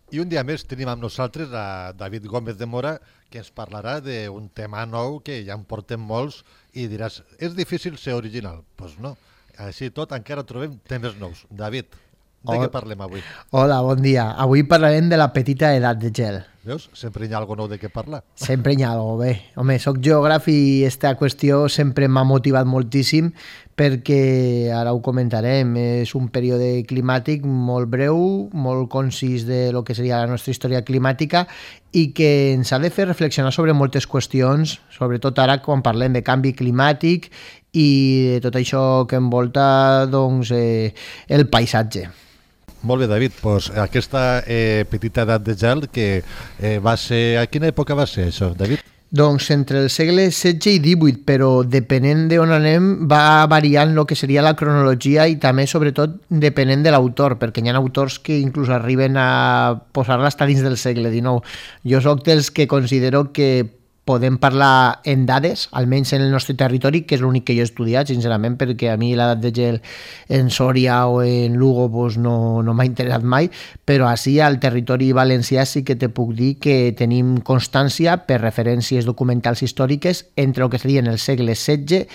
I un dia més tenim amb nosaltres a David Gómez de Mora, que ens parlarà d'un tema nou que ja en portem molts i diràs, és difícil ser original. Doncs pues no, així i tot encara trobem temes nous. David, de què parlem avui? Hola, bon dia. Avui parlarem de la petita edat de gel. Veus? Sempre hi ha alguna nou de què parlar. Sempre hi ha alguna bé. Home, soc geògraf i aquesta qüestió sempre m'ha motivat moltíssim perquè, ara ho comentarem, és un període climàtic molt breu, molt concís de lo que seria la nostra història climàtica i que ens ha de fer reflexionar sobre moltes qüestions, sobretot ara quan parlem de canvi climàtic i de tot això que envolta doncs, el paisatge. Molt bé, David, doncs aquesta petita edat de gel que va ser... A quina època va ser això, David? Doncs entre el segle XVI i XVIII, però depenent d'on anem va variant el que seria la cronologia i també, sobretot, depenent de l'autor, perquè hi ha autors que inclús arriben a posar-la fins dins del segle XIX. Jo sóc dels que considero que podem parlar en dades, almenys en el nostre territori, que és l'únic que jo he estudiat, sincerament, perquè a mi l'edat de gel en Sòria o en Lugo doncs no m'ha interessat mai, però així al territori valencià sí que te puc dir que tenim constància per referències documentals històriques entre el que serien el segle XVI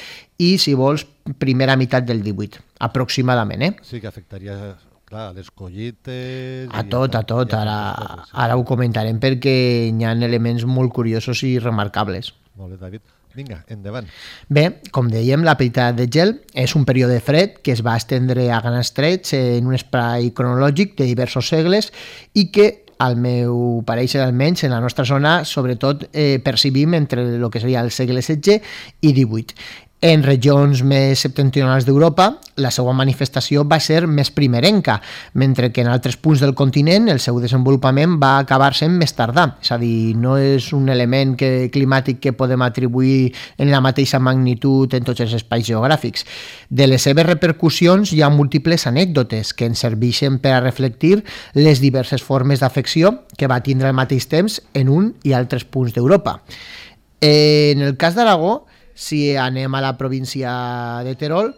i, si vols, primera meitat del XVIII, aproximadament. Sí que afectaria... Clar, a les collites... A tot. Ara ho comentarem perquè hi ha elements molt curiosos i remarcables. Molt bé, David. Vinga, endavant. Bé, com dèiem, la petita edat de gel és un període fred que es va estendre a grans trets en un espai cronològic de diversos segles i que, al meu pareixer almenys, en la nostra zona, sobretot percibim entre el que seria el segle XVI i XVIII. En regions més septentrionals d'Europa, la seva manifestació va ser més primerenca, mentre que en altres punts del continent el seu desenvolupament va acabar sent més tardà. És a dir, no és un element climàtic que podem atribuir en la mateixa magnitud en tots els espais geogràfics. De les seves repercussions hi ha múltiples anècdotes que ens serveixen per a reflectir les diverses formes d'afecció que va tindre al mateix temps en un i altres punts d'Europa. En el cas d'Aragó, si anem a la província de Terol,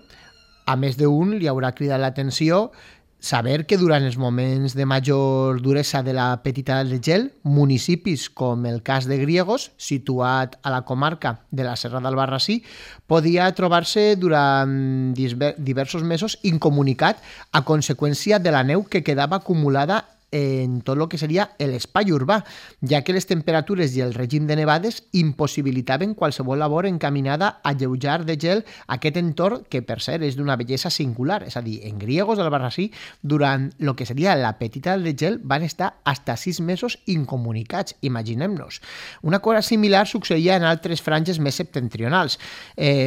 a més d'un li haurà cridat l'atenció saber que durant els moments de major duresa de la petita edat de gel, municipis com el cas de Griegos, situat a la comarca de la Serra d'Albarrasí, podia trobar-se durant diversos mesos incomunicat a conseqüència de la neu que quedava acumulada en tot el que seria l'espai urbà, ja que les temperatures i el règim de nevades impossibilitaven qualsevol labor encaminada a alleujar de gel aquest entorn que, per cert, és d'una bellesa singular. És a dir, en Griegos d'Albarrasí, durant el que seria la petita edat de gel, van estar fins a 6 mesos incomunicats, imaginem-nos. Una cosa similar succeïa en altres franges més septentrionals.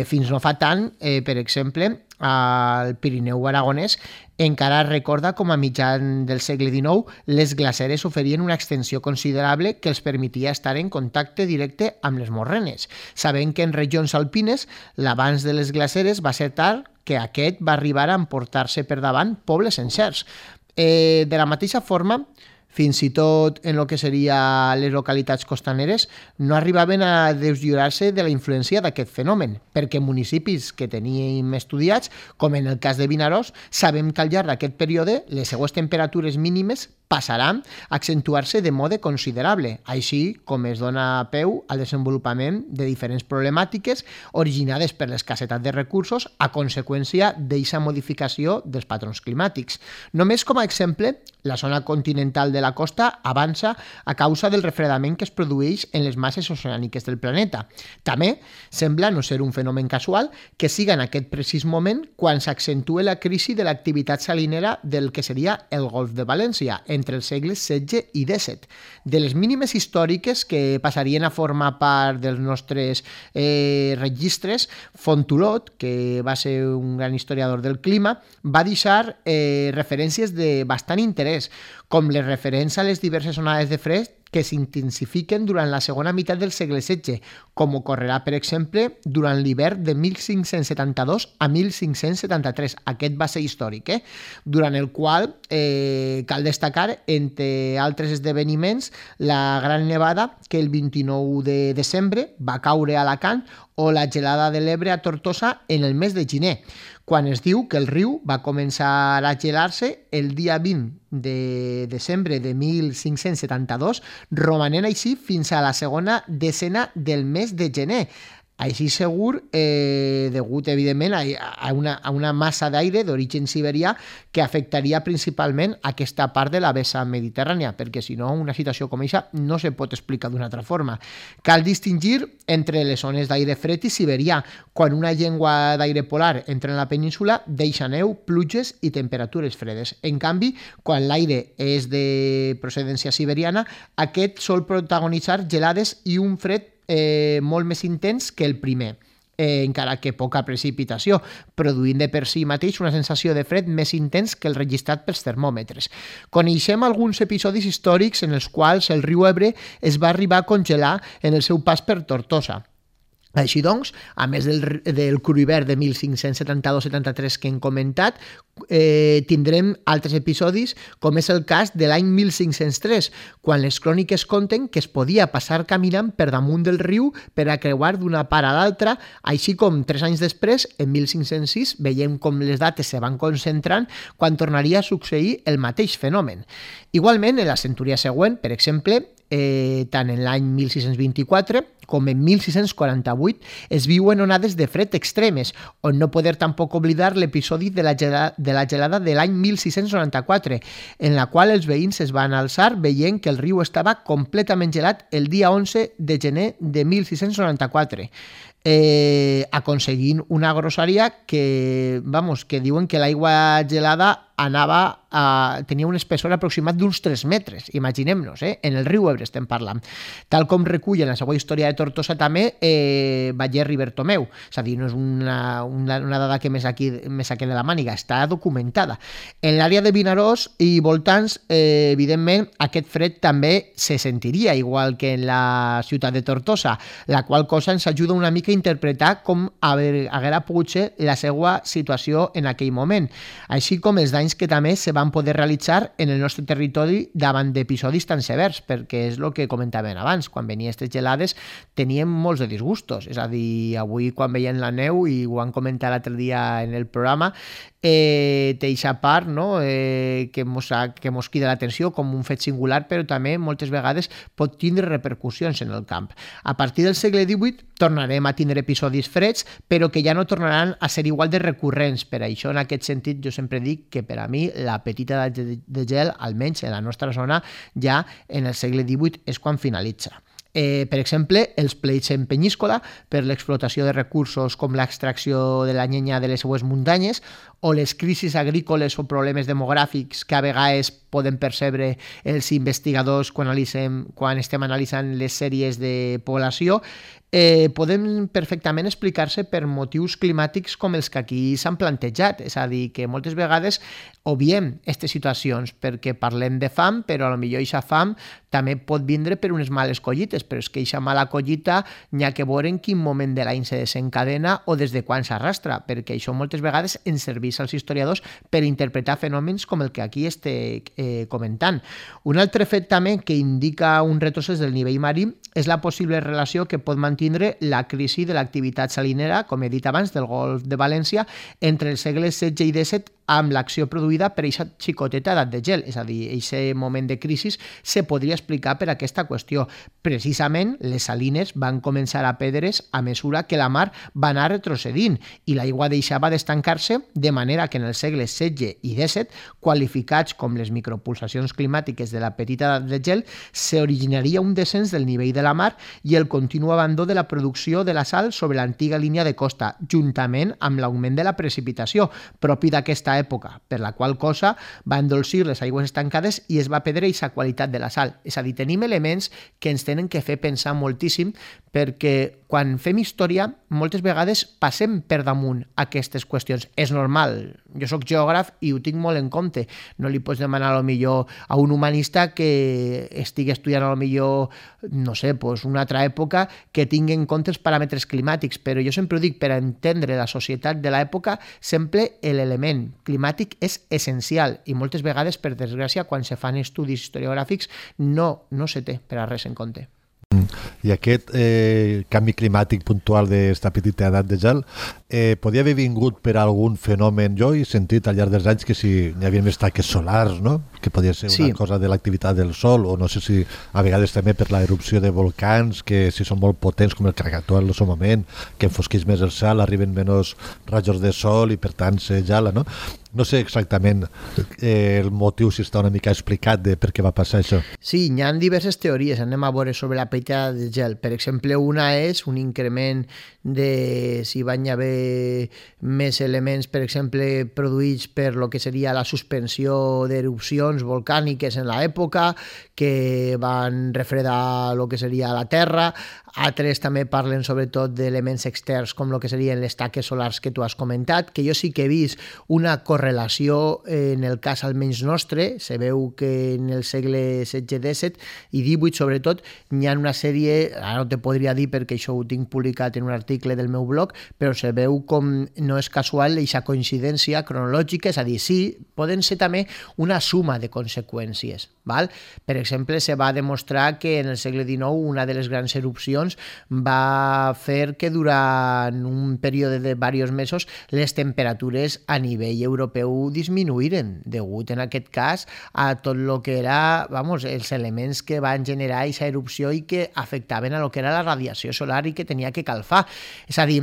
Fins no fa tant, per exemple, al Pirineu aragonès, encara es recorda com a mitjan del segle XIX les glaceres oferien una extensió considerable que els permetia estar en contacte directe amb les morrenes, sabent que en regions alpines l'avanç de les glaceres va ser tal que aquest va arribar a emportar-se per davant pobles sencers. De la mateixa forma, fins i tot en el que seria les localitats costaneres, no arribaven a deslliurar-se de la influència d'aquest fenomen, perquè municipis que teníem estudiats, com en el cas de Vinaròs, sabem que al llarg d'aquest període les seues temperatures mínimes passaran a accentuar-se de mode considerable, així com es dona peu al desenvolupament de diferents problemàtiques originades per l'escassetat de recursos a conseqüència d'aquesta modificació dels patrons climàtics. Només com a exemple, la zona continental de la costa avança a causa del refredament que es produeix en les masses oceàniques del planeta. També sembla no ser un fenomen casual que siga en aquest precís moment quan s'accentue la crisi de l'activitat salinera del que seria el Golf de València, entre els segles XVI i XVII. De les mínimes històriques que passarien a formar part dels nostres registres, Fontolot, que va ser un gran historiador del clima, va deixar referències de bastant interès, com les referents a les diverses onades de fred que s'intensifiquen durant la segona meitat del segle XVI, com ocorrerà, per exemple, durant l'hivern de 1572 a 1573. Aquest va ser històric, durant el qual cal destacar, entre altres esdeveniments, la gran nevada que el 29 de desembre va caure a Alacant o la gelada de l'Ebre a Tortosa en el mes de gener. quan es diu que el riu va començar a gelar-se el dia 20 de desembre de 1572, romanent així fins a la segona decena del mes de gener. Així segur, degut evidentment a una massa d'aire d'origen siberià que afectaria principalment aquesta part de la vessa mediterrània, perquè si no una situació com aquesta no se pot explicar d'una altra forma. Cal distingir entre les zones d'aire fred i siberià. Quan una llengua d'aire polar entra en la península, deixa neu, pluges i temperatures fredes. En canvi, quan l'aire és de procedència siberiana, aquest sol protagonitzar gelades i un fred molt més intens que el primer, encara que poca precipitació, produint de per si mateix una sensació de fred més intens que el registrat pels termòmetres. Coneixem alguns episodis històrics en els quals el riu Ebre es va arribar a congelar en el seu pas per Tortosa. Així doncs, a més del cru hivern de 1572-73 que hem comentat, tindrem altres episodis, com és el cas de l'any 1503, quan les cròniques conten que es podia passar caminant per damunt del riu per a creuar d'una part a l'altra, així com 3 anys després, en 1506, veiem com les dates se van concentrant quan tornaria a succeir el mateix fenomen. Igualment, en la centúria següent, per exemple, tant en l'any 1624 com en 1648 es viuen onades de fred extremes, on no poder tampoc oblidar l'episodi de la gelada de l'any 1694, en la qual els veïns es van alçar veient que el riu estava completament gelat el dia 11 de gener de 1694. Aconseguint una grosseria que diuen que l'aigua gelada tenia un espessor aproximat d'uns 3 metres, imaginem-nos, en el riu Ebre estem parlant. Tal com recull en la seva història de Tortosa també Baller i Bertomeu, és a dir, no és una dada que me saqué de la màniga, està documentada. En l'àrea de Vinaròs i voltants, evidentment, aquest fred també se sentiria, igual que en la ciutat de Tortosa, la qual cosa ens ajuda una mica a interpretar com haguera pogut ser la seva situació en aquell moment, així com els danys que també se van poder realitzar en el nostre territori davant d'episodis tan severs, perquè és el que comentàvem abans, quan venien aquestes gelades teníem molts de disgustos, és a dir, avui quan veiem la neu, i ho han comentat l'altre dia en el programa, té aquesta part, no? que mos crida l'atenció com un fet singular, però també moltes vegades pot tindre repercussions en el camp. A partir del segle XVIII tornarem a tindre episodis freds, però que ja no tornaran a ser igual de recurrents. Per això, en aquest sentit, jo sempre dic que per a mi la petita de gel, almenys en la nostra zona, ja en el segle XVIII és quan finalitza. Per exemple, els pleits en Penyíscola per l'explotació de recursos com l'extracció de la llenya de les seues muntanyes o les crisis agrícoles o problemes demogràfics que a vegades poden percebre els investigadors quan estem analitzant les sèries de població, poden perfectament explicar-se per motius climàtics com els que aquí s'han plantejat. És a dir, que moltes vegades obviem aquestes situacions perquè parlem de fam, però a lo millor aquesta fam també pot vindre per unes males collites, però és que aquesta mala collita n'hi ha que veure en quin moment de l'any se desencadena o des de quan s'arrastra, perquè això moltes vegades ens serveix als historiadors per interpretar fenòmens com el que aquí estic comentant. Un altre fet també que indica un retrocés del nivell marí és la possible relació que pot mantindre la crisi de l'activitat salinera, com he dit abans, del Golf de València entre els segles XVI i XVII amb l'acció produïda per aquesta xicoteta edat de gel, és a dir, aquest moment de crisi se podria explicar per aquesta qüestió. Precisament, les salines van començar a perdre's a mesura que la mar va anar retrocedint i l'aigua deixava d'estancar-se, de manera que en els segles XVI i XVII, qualificats com les micropulsacions climàtiques de la petita edat de gel, s'originaria un descens del nivell de la mar i el continu abandó de la producció de la sal sobre l'antiga línia de costa, juntament amb l'augment de la precipitació, propi d'aquesta època, per la qual cosa va endolcir les aigües estancades i es va perdre aquesta qualitat de la sal. És a dir, tenim elements que ens tenen que fer pensar moltíssim, perquè quan fem història moltes vegades passem per damunt aquestes qüestions. És normal, jo sóc geògraf i ho tinc molt en compte. No li pots demanar a lo millor a un humanista que estigui estudiant a lo millor, no sé, una altra època que tingui en compte els paràmetres climàtics, però jo sempre ho dic, per entendre la societat de l'època sempre l'element climàtic és essencial i moltes vegades, per desgràcia, quan se fan estudis historiogràfics no se té per a res en compte. I aquest canvi climàtic puntual d'esta petita edat de gel podia haver vingut per algun fenomen. Jo he sentit al llarg dels anys que si hi havia més taques solars, no? Que podia ser una cosa de l'activitat del sol, o no sé si a vegades també per l'erupció de volcans, que si són molt potents com el Krakatoa en el seu moment, que enfosqueix més el cel, arriben menys rajos de sol i per tant se gela, no? No sé exactament el motiu, si està una mica explicat de per què va passar això. Sí, hi ha diverses teories, anem a veure sobre la petita de gel. Per exemple, una és un increment de si van haver més elements, per exemple, produïts per lo que seria la suspensió d'erupcions volcàniques en l'època, que van refredar el que seria la Terra. Altres també parlen sobretot d'elements externs com el que serien les taques solars que tu has comentat, que jo sí que he vist una correlació en el cas almenys nostre. Se veu que en el segle XVI-XVII i XVIII sobretot hi ha una sèrie, ara no te podria dir perquè això ho tinc publicat en un article del meu blog, però se veu com no és casual aquesta coincidència cronològica, és a dir, sí, poden ser també una suma de conseqüències. Val? Per exemple, se va demostrar que en el segle XIX una de les grans erupcions va fer que durant un període de diversos mesos les temperatures a nivell europeu disminuïren, degut en aquest cas a tot el que era, els elements que van generar aquesta erupció i que afectaven a lo que era la radiació solar i que tenia que calfar. És a dir,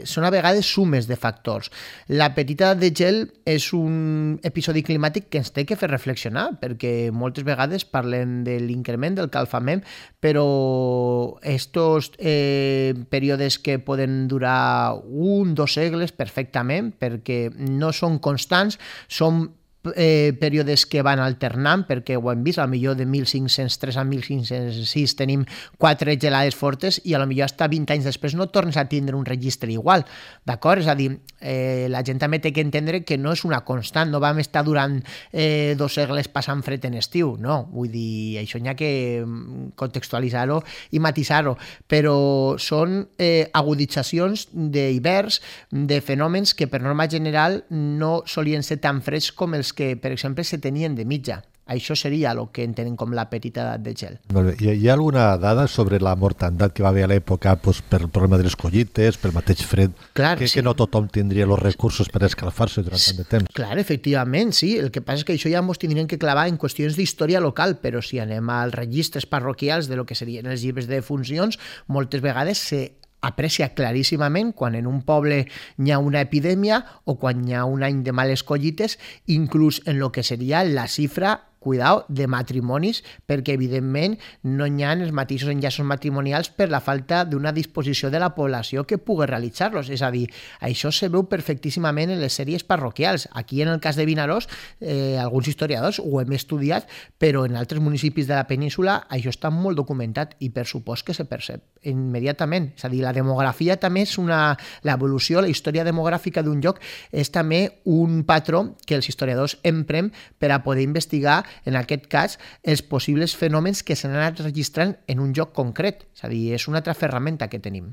són a vegades sumes de factors. La petita de gel és un episodi climàtic que ens té que fer reflexionar, perquè moltes vegades parlem de l'increment del calfament, però estos períodes que poden durar 1-2 segles perfectament, perquè no són constants, són períodes que van alternant, perquè ho hem vist, a lo millor de 1503 a 1506 tenim 4 gelades fortes i a lo millor hasta 20 anys després no tornes a tindre un registre igual, d'acord? És a dir, la gent també té que entendre que no és una constant, no vam estar durant 2 segles passant fred en estiu, no, vull dir, això hi ha que contextualitzar-ho i matisar-ho, però són aguditzacions d'hiverns, de fenòmens que per norma general no solien ser tan freds com els que, per exemple, se tenien de mitja. Això seria el que entenem com la petita edat de gel. Hi ha alguna dada sobre la mortandat que va haver a l'època per el problema de les collites, pel mateix fred, que no tothom tindria els recursos per escalfar-se durant tant de temps? Clar, efectivament, sí. El que passa és que això ja ens tindrem que clavar en qüestions d'història local, però si anem als registres parroquials de lo que serien els llibres de funcions, moltes vegades se aprecia claríssimament quan en un poble hi ha una epidèmia o quan hi ha un any de males collites, inclús en lo que seria la xifra cuidao, de matrimonis, perquè evidentment no hi ha els mateixos enllaços matrimonials per la falta d'una disposició de la població que pugui realitzar-los. És a dir, això se veu perfectíssimament en les sèries parroquials. Aquí, en el cas de Vinaròs, alguns historiadors ho hem estudiat, però en altres municipis de la península això està molt documentat i per supost que se percep immediatament. És a dir, la demografia també és l'evolució, la història demogràfica d'un lloc és també un patró que els historiadors emprem per a poder investigar en aquest cas, els possibles fenòmens que s'han anat registrant en un lloc concret. És a dir, és una altra ferramenta que tenim.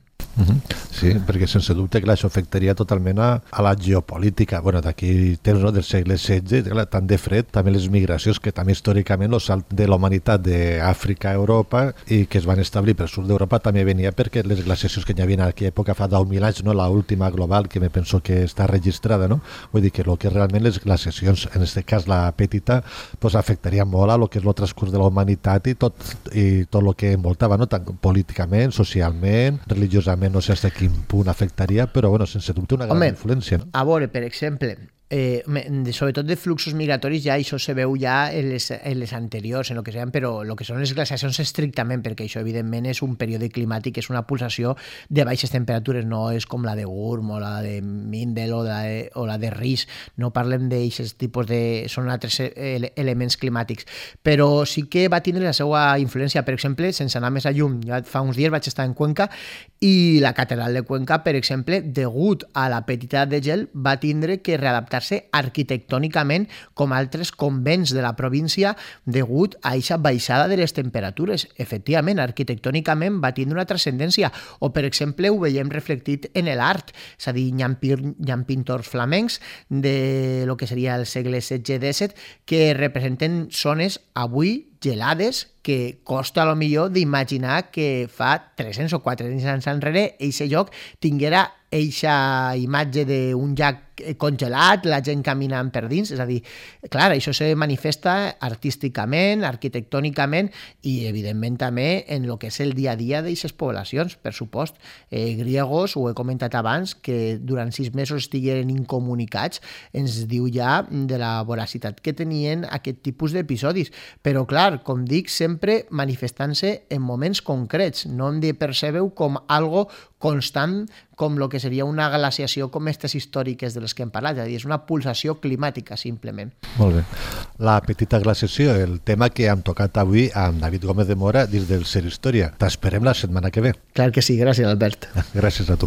Sí, perquè sense dubte que això afectaria totalment a la geopolítica. Bueno, d'aquí temps, no?, del segle XVI, tant de fred, també les migracions que també històricament el salt de la humanitat d'Àfrica a Europa i que es van establir pel sud d'Europa també venia perquè les glaciacions que hi havia en aquella època fa 10.000 anys, no?, l'última global que me penso que està registrada, no? Vull dir que el que realment les glaciacions, en aquest cas la petita, pues afectaria molt a lo que és el transcurs de la humanitat i tot el que envoltava, no?, tant políticament, socialment, religiosament, no sé fins a quin punt afectaria, però bueno, sense dubte una gran influència. No? A veure, per exemple, sobretot de fluxos migratoris ja això se veu ja en les anteriors, en el que sean, però el que són les glaciacions estrictament, perquè això evidentment és un període climàtic, és una pulsació de baixes temperatures, no és com la de Gurm o la de Mindel o la de Riis, no parlem d'aquests tipus de... són altres elements climàtics, però sí que va tindre la seva influència. Per exemple, sense anar més a llum, ja fa uns dies vaig estar en Cuenca i la catedral de Cuenca, per exemple, degut a la petita de gel, va tindre que readaptar arquitectònicament com altres convents de la província degut a aquesta baixada de les temperatures. Efectivament, arquitectònicament va tindre una transcendència. O, per exemple, ho veiem reflectit en l'art. És a dir, hi ha pintors flamencs de lo que seria el segle XVI-XVII que representen zones avui gelades que costa a lo millor d'imaginar que fa 300 o 400 anys enrere eixe lloc tinguera eixa imatge d'un llac congelat, la gent caminant per dins, és a dir, clar, això se manifesta artísticament, arquitectònicament i, evidentment, també en el que és el dia a dia d'aquestes poblacions, per supost. Griegos, ho he comentat abans, que durant 6 mesos estigueren incomunicats, ens diu ja de la voracitat que tenien aquest tipus d'episodis. Però, clar, com dic, sempre manifestant-se en moments concrets, no hem de percebre-ho com algo constant com el que seria una glaciació com aquestes històriques de les que hem parlat, és a dir, és una pulsació climàtica, simplement. Molt bé. La petita glaciació, el tema que hem tocat avui amb David Gómez de Mora dins del Ser Història. T'esperem la setmana que ve. Clar que sí, gràcies, Albert. Gràcies a tu.